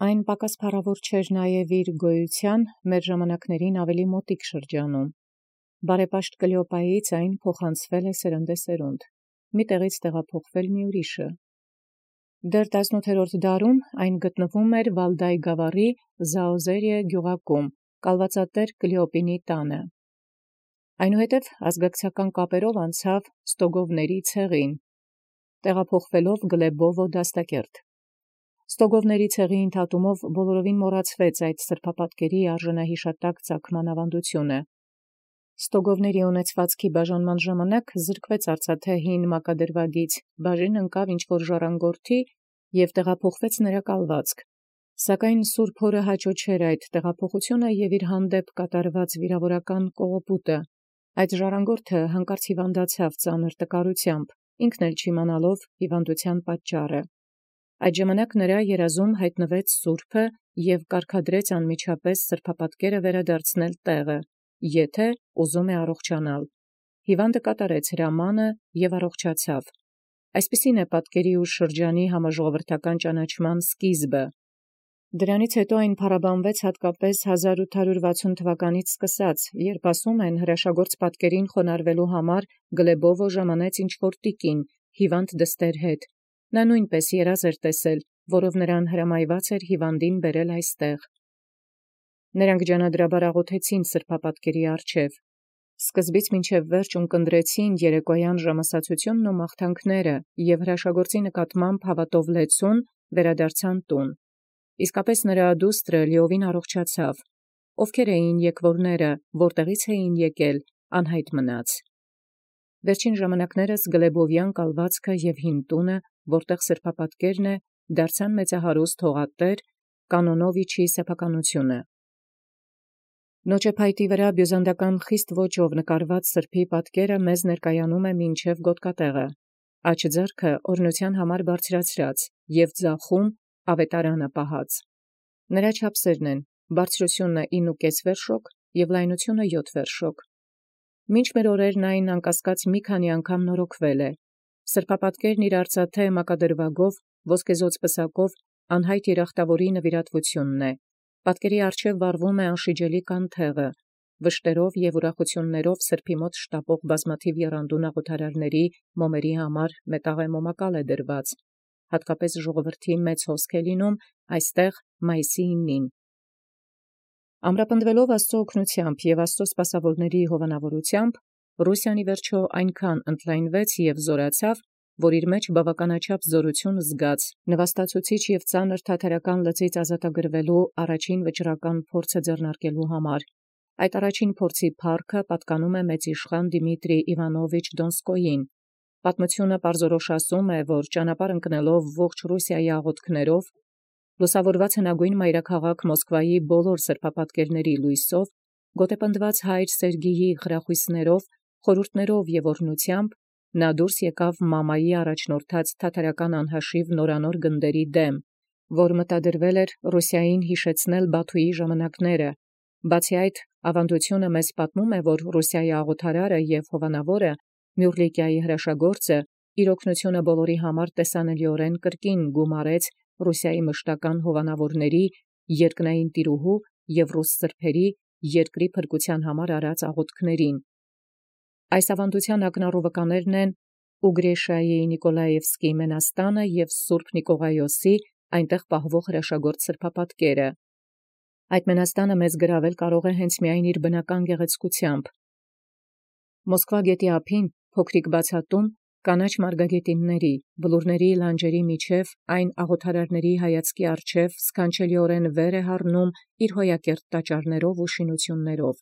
Այն պակաս փառաւոր չէր նաև իր գոյութեան մեր ժամանակաց ավելի մոտիկ շրջանում. բարեպաշտ Կլեոպայից այն փոխանցվել է սերնդեսերունդ, մի տեղից տեղափոխվել մի ուրիշը։ Դեռ 18-րդ դարում այն գտնվում էր Վալդայի գաւառի Զաոզերիե գյուղակում, կալվածատեր Կլեոպինի տանը։ Այնուհետև ազգակցական կապերով անցավ Ստոգովների ցեղին, տեղափոխվելով Գլեբովո դաստակերտ։ Ստոգովների ցեղի ընդհատումով բոլորովին մոռացվեց այդ սրբապատկերի արժանահիշատակ ծագման ավանդությունը։ Ստոգովների ունեցվածքի բաժանման ժամանակ զրկվեց արծաթե հին մակադրվագից, բաժին ընկավ ինչ-որ ժառանգորդի և տեղափոխվեց նրա կալվածք։ Սակայն Սուրբ Հորը հաճո չէր այդ տեղափոխությունը և իր հանդեպ կատարված վիրավորական կողոպուտը։ Այդ ժառանգորդը հանկարծ հիվանդացավ ծանր տկարութեամբ, ինքն էլ չիմանալով հիվանդության պատճառը։ Այդ ժամանակ նրա երազում հայտնվեց Սուրբը և կարգադրեց անմիջապես սրբապատկերը վերադարձնել տեղը, եթե ուզում է առողջանալ։ Հիվանդը կատարեց հրամանը և առողջացավ։ Այսպիսին է պատկերի ու շրջանի համաժողովրդական ճանաչման սկիզբը։ Դրանից հետո այն փառաբանվեց հատկապես 1860 թվականից սկսած, երբ ասում են հրաշագործ պատկերին խոնարհվելու համար Գլեբովը ժամանեց ինչ-որ տիկին, հիվանդ դստեր հետ։ Նա նույնպես երազ էր տեսել, որով նրան հրամայված էր հիվանդին բերել այստեղ։ Նրանք ջանադրաբար աղոթեցին սրբապատկերի առջև։ Սկզբից մինչև վերջ ունկնդրեցին երեկոյան ժամասացությունն ու մաղթանքները և հրաշագործի նկատմամբ հավատով լեցուն վերադարձան տուն։ Իսկապես նրա դուստրը լիովին առողջացավ։ Ովքեր էին եկվորները, որտեղից էին եկել, անհայտ մնաց։ Վերջին ժամանակներս Գլեբովյան կալվածքը և հին տունը, որտեղ սրբապատկերն է, դարձան մեծահարուստ հողատեր Կանոնովիչի սեփականությունը։ Նոճեփայտի վրա բյուզանդական խիստ ոճով նկարված սրբի պատկերը մեզ ներկայանում է մինչև գոտկատեղը, աջ ձեռքը օրհնության համար բարձրացրած և ձախում ավետարանը պահած։ Նրա չափսերն են բարձրությունը 9,5 վերշոք և լայնությունը 7 վերշոք։ Մինչ մեր օրերն այն անկասկած մի քանի անգամ նորոգվել է։ Սրբապատկերն իր արծաթե մակադրվագով, ոսկեզօծ պսակով անհայտ երախտավորի նվիրատվությունն է։ Պատկերի առջև վառվում է անշիջելի կանթեղը, վշտերով և ուրախություններով սրբի մոտ շտապող բազմաթիվ եռանդուն աղոթարարների մոմերի համար մետաղե մոմակալ է դրված, հատկապես ժողովրդի մեծ հոսք է լինում այստեղ մայիսի 9-ին։ Ամրապնդվելով Աստծո օգնությամբ և Աստծո սպասավորների հովանավորությամբ, Ռուսիան ի վերջո այնքան ընդլայնվեց և զորացավ, որ իր մեջ բավականաչափ զորություն զգաց նվաստացուցիչ և ծանր թաթարական լծից ազատագրվելու առաջին վճռական փորձը ձեռնարկելու համար։ Այդ առաջին փորձի փառքը պատկանում է մեծ իշխան Դիմիտրի Իվանովիչ Դոնսկոյին։ Պատմությունը պարզորոշ ասում է, որ ճանապարհ ընկնելով ողջ Ռուսիայի աղոթքներով, լուսավորված հնագույն մայրաքաղաք Մոսկվայի բոլոր սրբապատկերների լույսով, գոտեպնդված հայր Սերգիյի խրախույսներով, խորհուրդներով և օրհնությամբ, նա դուրս եկավ մամայի առաջնորդած թաթարական անհաշիվ նորանոր գնդերի դեմ, որ մտադրվել էր Ռուսիային հիշեցնել Բաթուի ժամանակները։ Բացի այդ, ավանդությունը մեզ պատմում է, որ Ռուսիայի աղոթարարը և հովանավորը Մյուռլիկիայի հրաշագործը իր օգնությունը բոլորի համար տեսանելիորեն կրկին գումարեց Ռուսիայի մշտական հովանավորների, երկնային տիրուհու և ռուս սրբերի երկրի փրկության համար արած աղոթքներին։ Այս ավանդության ակնառու վկաներն են Ուգրեշայի Նիկոլաևսկի մենաստանը և Սուրբ Նիկողայոսի այնտեղ պահվող հրաշագործ սրբապատկերը։ Այդ մենաստանը մեզ գրավել կարող է հենց միայն իր բնական գեղեցկությամբ։ Մոսկվա գետի ափին փոքրիկ բացատում կանաչ մարգագետինների, բլուրների լանջերի միջև այն աղոթարարների հայացքի առջև սքանչելիորեն վեր է հառնում իր հոյակերտ տաճարներով ու շինություններով,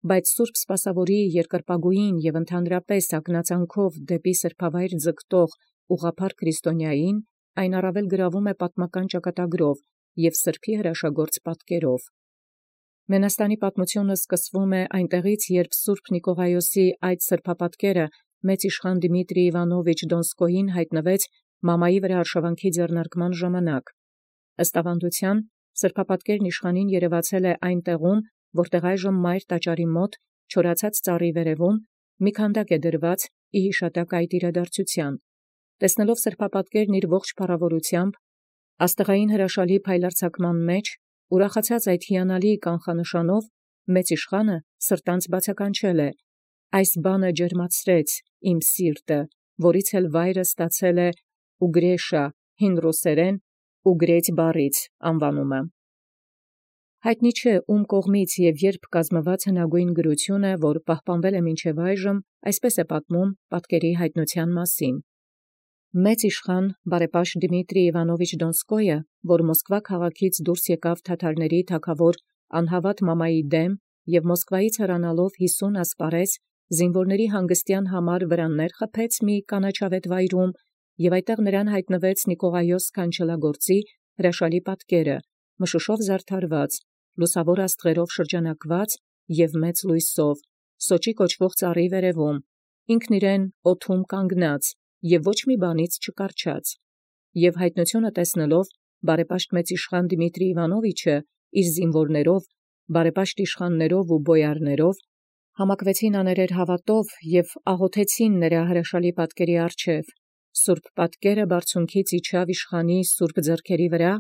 բայց Սուրբ Սպասավորի երկրպագուին և ընդհանրապես ակնածանքով դեպի սրբավայր ձգտող ուղղափառ քրիստոնյային այն առավել գրավում է պատմական ճակատագրով և սրբի հրաշագործ պատկերով։ Մենաստանի պատմությունը սկսվում է այնտեղից, երբ Սուրբ Նիկողայոսի այդ սրբապատկերը մեծ իշխան Դիմիտրի Իվանովիչ Դոնսկոյին հայտնվեց մամայի վրա արշավանքի ձեռնարկման ժամանակ։ Ըստ ավանդության, սրբապատկերն իշխանին երևացել է այն տեղում, որտեղ այժմ մայր տաճարի մոտ չորացած ծառի վերևում մի քանդակ է դրված ի հիշատակ այդ իրադարձության։ Տեսնելով սրբապատկերն իր ողջ փառավորությամբ, Աստղային հրաշալի փայլարցակման մեջ, ուրախացած այդ հիանալի կանխանշանով, մեծ իշխանը սրտանց բացականչել է. «Այս բանը ջերմացրեց իմ սիրտը, որից էլ վայրը ստացել է ուգրեշա, հին ռուսերեն ուգրեць բառից անվանումը»։ Հայտնի չէ ում կողմից և երբ կազմված հնագույն գրությունը, որ պահպանվել է մինչև այժմ, այսպես է պատմում պատկերի հայտնության մասին։ Մեծ իշխան բարեպաշտ Դմիտրի Իվանովիչ Դոնսկոյը, որ Մոսկվա քաղաքից դուրս եկավ թաթարների թագավոր անհավատ Մամայի դեմ և Մոսկվայից հեռանալով 50 ասպարեզ զինվորների հանգստյան համար վրաններ խփեց մի կանաչավետ վայրում, և այդտեղ նրան հայտնվեց Նիկողայոս սքանչելագործի հրաշալի պատկերը, մշուշով զարդարված, լուսավոր աստղերով շրջանակված և մեծ լույսով, Սոճի կոչվող ծառի վերևում, ինքն իրեն օդում կանգնած և ոչ մի բանից չկառչած, և հայտնությունը տեսնելով, բարեպաշտ մեծ իշխան Դմիտրի Իվանովիչը իր զինվորներով, բարեպաշտ իշխաններով ու բոյարներով համակվեցին աներեր հավատով և աղոթեցին նրա հրաշալի պատկերի առջև։ Սուրբ պատկերը բարձունքից իջավ իշխանի սուրբ ձեռքերի վրա,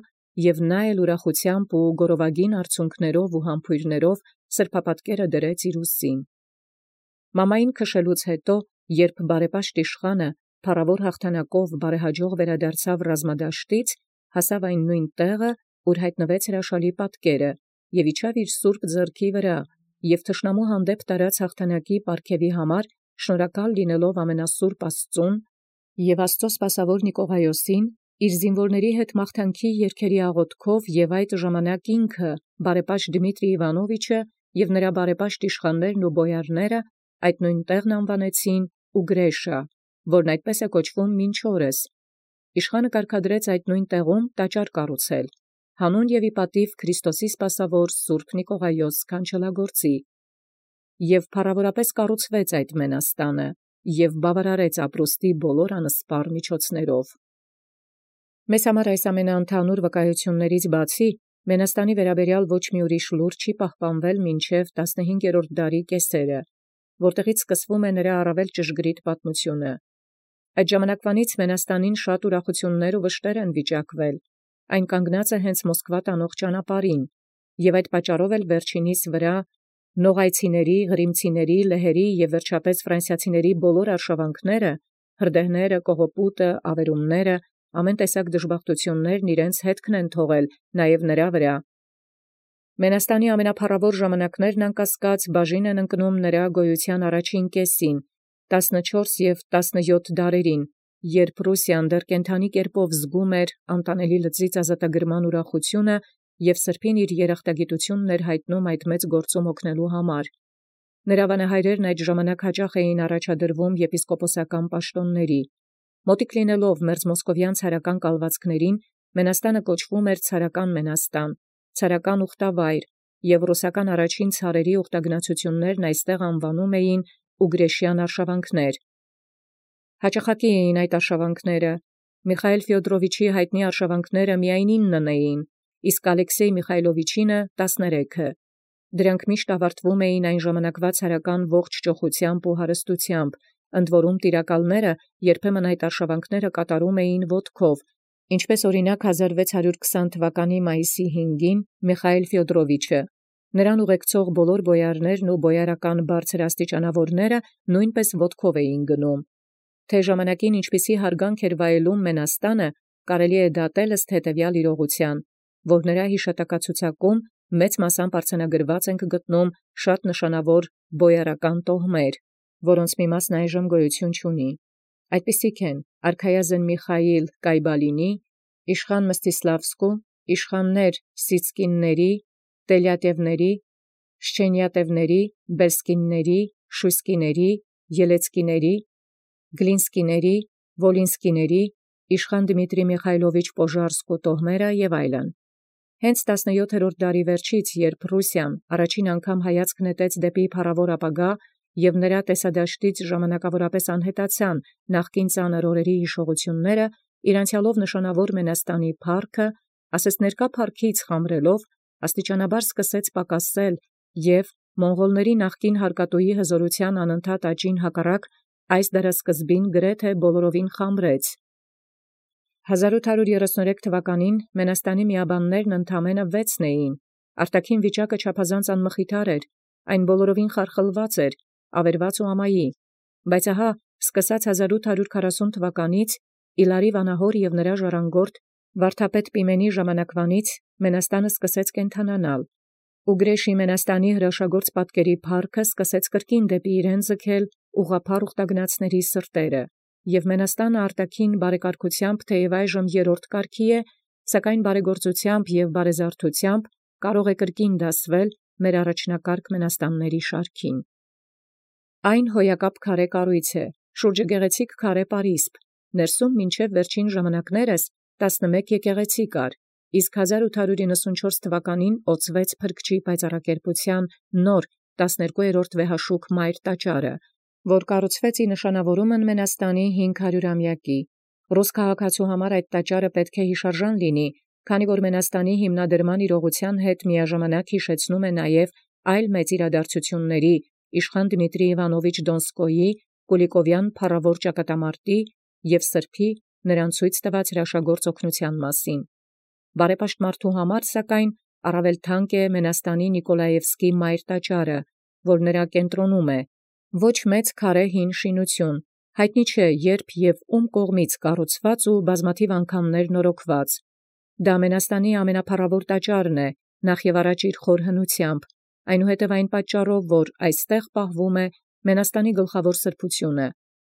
և նա էլ ուրախությամբ ու գորովագին արցունքներով ու համբույրներով սրբապատկերը դրեց իր ուսին։ Մամային քշելուց հետո, երբ բարեպաշտ իշխանը փառավոր հաղթանակով բարեհաջող վերադարձավ ռազմադաշտից, հասավ այն նույն տեղը, ուր հայտնվեց հրաշալի պատկերը, և իջավ իր սուրբ ձեռքի վրա, և թշնամու հանդեպ տարած հաղթանակի պարգևի համար շնորհակալ լինելով ամենասուրբ Աստծուն և Աստծո սպասավոր Նիկողայոսին, իր զինվորների հետ մաղթանքի երգերի աղոթքով և այդ ժամանակ ինքը, բարեպաշտ Դմիտրի Իվանովիչը և նրա բարեպաշտ իշխաններն ու բոյարները այդ նույն տեղն անվանեցին Ուգրեշա, որն այդպես է կոչվում մինչ օրս։ Իշխանը կարգադրեց այդ նույն տեղում տաճար կառուցել, հանուն և ի պատիվ Քրիստոսի սպասավոր Սուրբ Նիկողայոս սքանչելագործի, և փառավորապես կառուցվեց այդ մենաստանը, և բավարարեց ապրուստի բոլոր անսպառ միջոցներով։ Մեզ համար այս ամենաընդհանուր վկայություններից բացի, մենաստանի վերաբերյալ ոչ մի ուրիշ լուր չի պահպանվել մինչև 15-րդ դարի կեսերը, որտեղից սկսվում է նրա առավել ճշգրիտ պատմությունը։ Այդ ժամանակվանից մենաստանին շատ ուրախություններ ու վշտեր են վիճակվել, այն կանգնած է հենց Մոսկվա տանող ճանապարհին, և այդ պատճառով էլ վերջինիս վրա նողայցիների, Ղրիմցիների, լեհերի և վերջապես ֆրանսիացիների բոլոր արշավանքները, հրդեհները, կողոպուտը, ավերումները, ամեն տեսակ դժբախտություններն իրենց հետքն են թողել նաև նրա վրա։ Մենաստանի ամենափառավոր ժամանակներն անկասկած բաժին են ընկնում նրա գոյության առաջին կեսին, 14 և 17 դարերին, երբ Ռուսիան դեռ կենդանի կերպով զգում էր անտանելի լծից ազատագրման ուրախությունը և սրբին իր երախտագիտությունն էր հայտնում այդ մեծ գործում օգնելու համար։ Նրա վանահայրերն այդ ժամանակ հաճախ էին առաջադրվում եպիսկոպոսական պաշտոնների։ Մոտիկ լինելով մերձմոսկովյան ցարական կալվածքներին, մենաստանը կոչվում էր ցարական մենաստան, ցարական ուխտավայր, և ռուսական առաջին ցարերի ուխտագնացություններն այստեղ անվանում էին ուգրեշյան արշավանքներ։ Հաճախակի էին այդ արշավանքները։ Միխայիլ Ֆյոդրովիչի հայտնի արշավանքները միայն 9 էին, իսկ Ալեքսեյ Միխայլովիչինը 13։ Դրանք միշտ ավարտվում էին այն ժամանակվա ցարական ողջ ճոխությամբ ու հարստությամբ, ընդ որում տիրակալները երբեմն այդ արշավանքները կատարում էին ոտքով, ինչպես օրինակ 1620 թվականի մայիսի 5-ին Միխայիլ Ֆյոդրովիչը։ Նրան ուղեկցող բոլոր բոյարներն ու բոյարական բարձր աստիճանավորները նույնպես ոտքով էին գնում։ Թե ժամանակին ինչպիսի հարգանք էր վայելում մենաստանը, կարելի է դատել ըստ հետևյալ իրողության, որ նրա հիշատակացուցակում մեծ մասամբ արձանագրված ենք գտնում շատ նշանավոր բոյարական տոհմեր, որոնց մի մասն այժմ գոյություն չունի։ Այդպիսիք են արքայազն Միխայիլ Կայբալինի, իշխան Մստիսլավսկու, իշխաններ Սիցկինների, Տելյատևների, Շչենյատևների, Բելսկինների, Շույսկիների, Ելեցկիների, Գլինսկիների, Վոլինսկիների, իշխան Դմիտրի Միխայլովիչ Պոժարսկու տոհմերը և այլն։ Հենց 17-րդ դարի վերջից, երբ Ռուսիան առաջին անգամ հայացք նետեց դեպի փառավոր ապագա և նրա տեսադաշտից ժամանակավորապես անհետացան նախկին ծանր օրերի հիշողությունները, իր անցյալով նշանավոր մենաստանի փառքը, ասես ներկա փառքից խամրելով, աստիճանաբար սկսեց պակասել և մոնղոլների նախկին հարկատուի հզորության անընդհատ աճին հակառակ այս դարասկզբին գրեթե բոլորովին խամրեց։ 1833 թվականին Մենաստանի միաբաններն ընդամենը 6 էին, արտաքին վիճակը չափազանց անմխիթար էր, այն բոլորովին խարխլված էր, ավերված ու ամայի, բայց ահա սկսած 1840 թվականից Իլարի վանահոր և նրա ժառանգորդ վարդապետ Պիմենի ժամանակվանից Մենաստանը սկսեց կենդանանալ, ու Գրեշի Մենաստանի հրաշագործ պատկերի փառքը սկսեց կրկին դեպի իրեն ձգել ուղղափառ ուխտագնացների սրտերը, և Մենաստանը արտաքին բարեկարգությամբ թեև այժմ երրորդ կարգի է, սակայն բարեգործությամբ և բարեզարդությամբ կարող է կրկին դասվել մեր առաջնակարգ Մենաստանների շարքին։ Այն հոյակապ քարե կառույց է, շուրջը գեղեցիկ քարե պարիսպ, ներսում մինչև վերջին ժամանակներս 11 եկեղեցի կար, իսկ 1894 թվականին օծվեց Փրկչի պայծառակերպության նոր 12-րդ վեհաշուք մայր տաճարը, որ կառուցվեց ի նշանավորումն Մենաստանի 500-ամյակի։ Ռուս քաղաքացու համար այդ տաճարը պետք է հիշարժան լինի, քանի որ Մենաստանի հիմնադրման իրողության հետ միաժամանակ հիշեցնում է նաև այլ մեծ իրադարձությունների իշխան Դմիտրի Իվանովիչ Դոնսկոյի Կուլիկովյան փառավոր ճակատամարտի և սրբի նրան ցույց տված հրաշագործ օգնության մասին։ Բարեպաշտմարդու համար, սակայն, առավել թանկ է Մենաստանի Նիկոլաևսկի մայր տաճարը, որ նրա կենտրոնում է, ոչ մեծ քարե հին շինություն, հայտնի չէ երբ և ում կողմից կառուցված ու բազմաթիվ անգամներ նորոգված։ Դա Մենաստանի ամենափառավոր տաճարն է, նախ և առաջ իր խոր հնությամբ, այնուհետև այն պատճառով, որ այստեղ պահվում է Մենաստանի գլխավոր սրբությունը,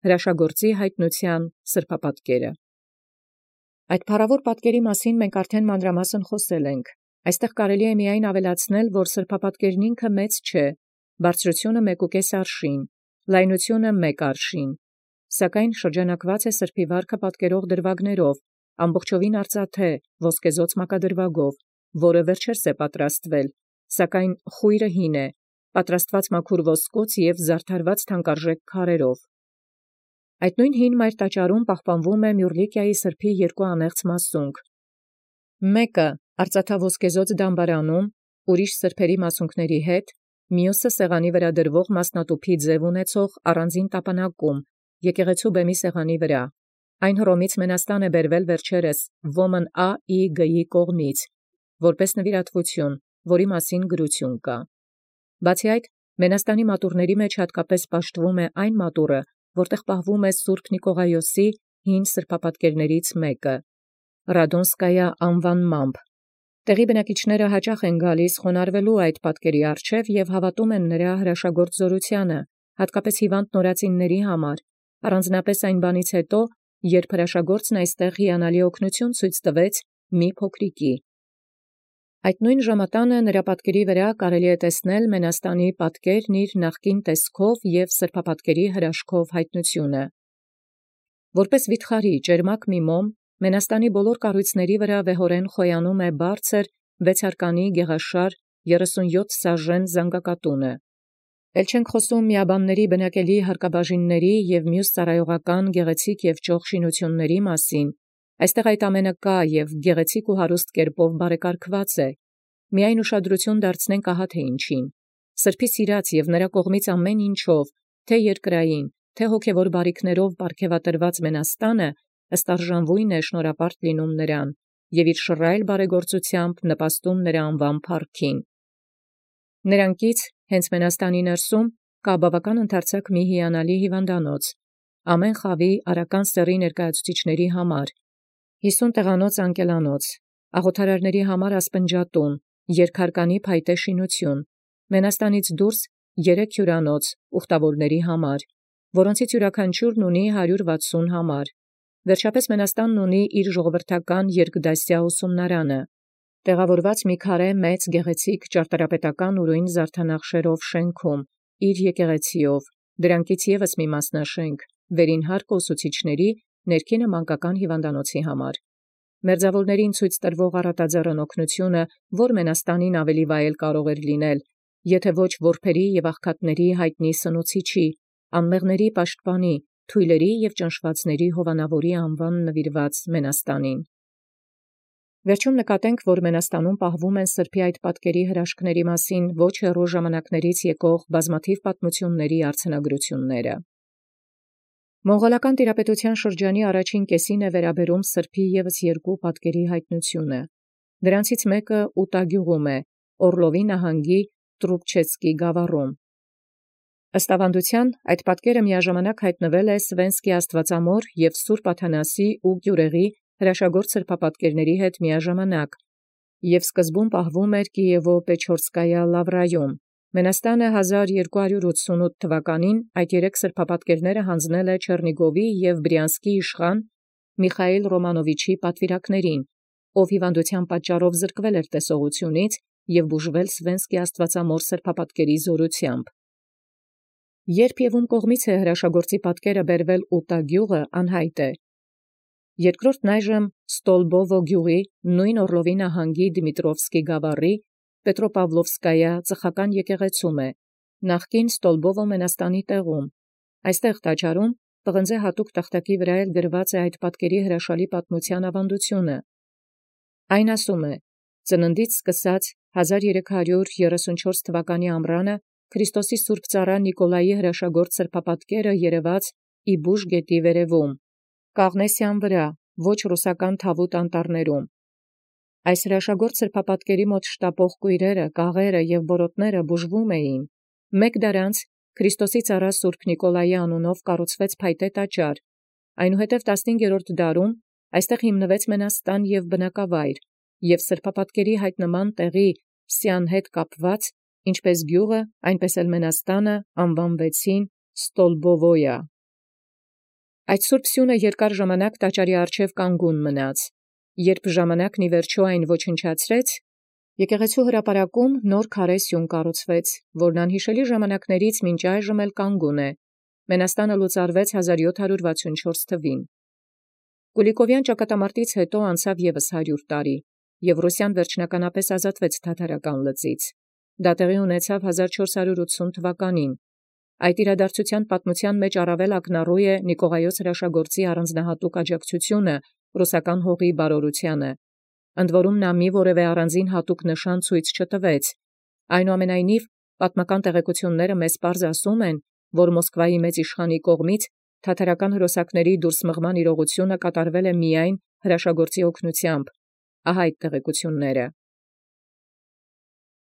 հրաշագործի հայտնության սրբապատկերը։ Այդ փառավոր պատկերի մասին մենք արդեն մանրամասն խոսել ենք։ Այստեղ կարելի է միայն ավելացնել, որ սրբապատկերն ինքը մեծ չէ, բարձրությունը 1,5 արշին, լայնությունը 1 արշին, սակայն շրջանակված է սրբի վարքը պատկերող դրվագներով, ամբողջովին արծաթե, ոսկեզօծ մակադրվագով, որը վերջերս է պատրաստվել, սակայն խույրը հին է, պատրաստված մաքուր ոսկուց և զարդարված թանկարժեք քարերով։ Այդ նույն հին մայր տաճարում պահպանվում է Մյուռլիկիայի սրբի երկու անեղծ մասունք։ Մեկը արծաթաոսկեզօծ դամբարանում, ուրիշ սրբերի մասունքների հետ, մյուսը սեղանի վրա դրվող մասնատուփի ձև ունեցող առանձին տապանակում, եկեղեցու բեմի սեղանի վրա։ Այն Հռոմից Մենաստան է բերվել վերջերս Ոմն Ա.Ի.Գ.-ի կողմից, որպես նվիրատվություն, որի մասին գրություն կա։ Բացի այդ, Մենաստանի մատուռների մեջ հատկապես պաշտվում է այն մատուռը, որտեղ պահվում է Սուրբ Նիկողայոսի հին սրբապատկերներից մեկը, Ռադոնսկայա անվանմամբ։ Տեղի բնակիչները հաճախ են գալիս խոնարհվելու այդ պատկերի առջև և հավատում են նրա հրաշագործ զորությանը, հատկապես հիվանդ նորածինների համար, առանձնապես այն բանից հետո, երբ հրաշագործն այստեղ հիանալի օգնություն ցույց տվեց մի փոքրիկի։ Այդ նույն ժամատանը նրա պատկերի վրա կարելի է տեսնել Մենաստանի պատկերն իր նախկին տեսքով և սրբապատկերի հրաշքով հայտնությունը։ Որպես վիթխարի ճերմակ մի մոմ, Մենաստանի բոլոր կառույցների վրա վեհորեն խոյանում է բարձր 6 գեղաշար 37 սաժեն զանգակատունը։ Էլ չենք խոսում միաբանների բնակելի հարկաբաժինների և մյուս ծառայողական գեղեցիկ և ճոխ շինությունների մասին։ Այստեղ այդ ամենը կա և գեղեցիկ ու հարուստ կերպով բարեկարգված է։ Միայն ուշադրություն դարձնենք ահա թե ինչին։ Սրբի սիրած և նրա կողմից ամեն ինչով, թե երկրային, թե հոգևոր բարիքներով պարգևատրված Մենաստանը ըստ արժանվույն է շնորհապարտ լինում նրան և իր շռայլ բարեգործությամբ նպաստում նրա անվան փառքին։ Նրանքից հենց Մենաստանի ներսում կա բավական ընդարձակ մի հիանալի հիվանդանոց, ամեն խավի արական սեռի ներկայացուցիչների համար, 50 տեղանոց անկելանոց, աղոթարարների համար ասպնջատուն, երկհարկանի փայտե շինություն, Մենաստանից դուրս 3 հյուրանոց ուխտավորների համար, որոնցից յուրաքանչյուրն ունի 160 համար։ Վերջապես Մենաստանն ունի իր ժողովրդական երկդասյա ուսումնարանը, տեղավորված մի քարե մեծ գեղեցիկ ճարտարապետական ուրույն զարդանախշերով շենքում, իր եկեղեցիով, դրանքից ևս մի մասնաշենք, վերին հարկը ուսուցիչների, ներքինը մանկական հիվանդանոցի համար։ Մերձավորներին ցույց տրվող առատաձեռն օգնությունը, որ Մենաստանին ավելի վայել կարող էր լինել, եթե ոչ որբերի և աղքատների հայտնի սնուցիչի, անմեղների պաշտպանի, թույլերի և ճնշվածների հովանավորի անվան նվիրված Մենաստանին։ Վերջում նկատենք, որ Մենաստանում պահվում են սրբի այդ պատկերի հրաշքների մասին ոչ հեռու ժամանակներից եկող բազմաթիվ պատմությունների արձանագրությունները։ Մոնղոլական տիրապետության շրջանի առաջին կեսին է վերաբերում սրբոյ ևս երկու պատկերի հայտնությունը։ Դրանցից մեկը Ուտագյուղում է, Օրլովի նահանգի Տրուբչեցկի գավառում։ Ըստ ավանդութեան, այդ պատկերը միաժամանակ հայտնվել է Սվենսկի Աստուածամոր և Սուրբ Աթանասի ու Գյուրեղի հրաշագործ սրբապատկերների հետ միաժամանակ, և սկզբում պահվում էր Կիևո-Պեչորսկայա լավրայում։ Մենաստանը 1288 թվականին այդ երեք սրբապատկերները հանձնել է Չեռնիգովի և Բրյանսկի իշխան Միխայիլ Ռոմանովիչի պատվիրակներին, ով հիվանդութեան պատճառով զրկվել էր տեսողությունից և բուժվել Սվենսկի Աստուածամոր սրբապատկերի զորութեամբ։ Երբ և ում կողմից է հրաշագործի պատկերը բերվել Ուտագյուղը անհայտ է։ Երկրորդն այժմ Ստոլբովո գյուղի նույն Օրլովի նահանգի Դմիտրովսկի գավառի Պետրոպավլովսկայա ծխական եկեղեցում է, նախկին Ստոլբովո մենաստանի տեղում։ Այստեղ տաճարում պղնձե հատուկ տախտակի վրա էլ գրված է այդ պատկերի հրաշալի պատմության ավանդությունը։ Այն ասում է. ծննդից սկսած 1334 թվականի ամռանը Քրիստոսի սուրբ ծառա Նիկոլայի հրաշագործ սրբապատկերը երևաց Իբուժ գետի վերևում, Կաղնեսյան վրա, ոչ ռուսական թավուտ անտառներում։ Այս հրաշագործ սրբապատկերի մոտ շտապող կույրերը, կաղերը և բորոտները բուժվում էին։ Մեկ դարանց Քրիստոսի ծառա Սուրբ Նիկոլայի անունով կառուցվեց փայտե տաճար, այնուհետև 15-րդ դարում այստեղ հիմնվեց մենաստան և բնակավայր, և սրբապատկերի հայտնման տեղի Սյան հետ կապված, ինչպես գյուղը, այնպես էլ մենաստանը անվանվեցին Ստոլբովոյա։ Այդ սուրբ սյունը երկար ժամանակ տաճարի առջև կանգուն մնաց, երբ ժամանակն ի վերջո այն ոչնչացրեց, եկեղեցու հրապարակում նոր քարե սյուն կառուցվեց, որն անհիշելի ժամանակներից մինչ այժմ էլ կանգուն է։ Մենաստանը լուծարվեց 1764 թվին։ Կուլիկովյան ճակատամարտից հետո անցավ ևս 100 տարի, և Ռուսիան վերջնականապես ազատվեց թաթարական լծից։ Դա տեղի ունեցավ 1480 թվականին։ Այդ իրադարձության պատմության մեջ առավել ակնառու է Նիկողայոս հրաշագործի առանձնահատուկ աջակցությունը ռուսական հողի բարօրությանը, ընդ որում նա մի որևէ առանձին հատուկ նշան ցույց չտվեց։ Այնուամենայնիվ, պատմական տեղեկությունները մեզ պարզ ասում են, որ Մոսկվայի մեծ իշխանի կողմից թաթարական հրոսակների դուրսմղման իրողությունը կատարվել է միայն հրաշագործի օգնությամբ։ Ահա այդ տեղեկությունները։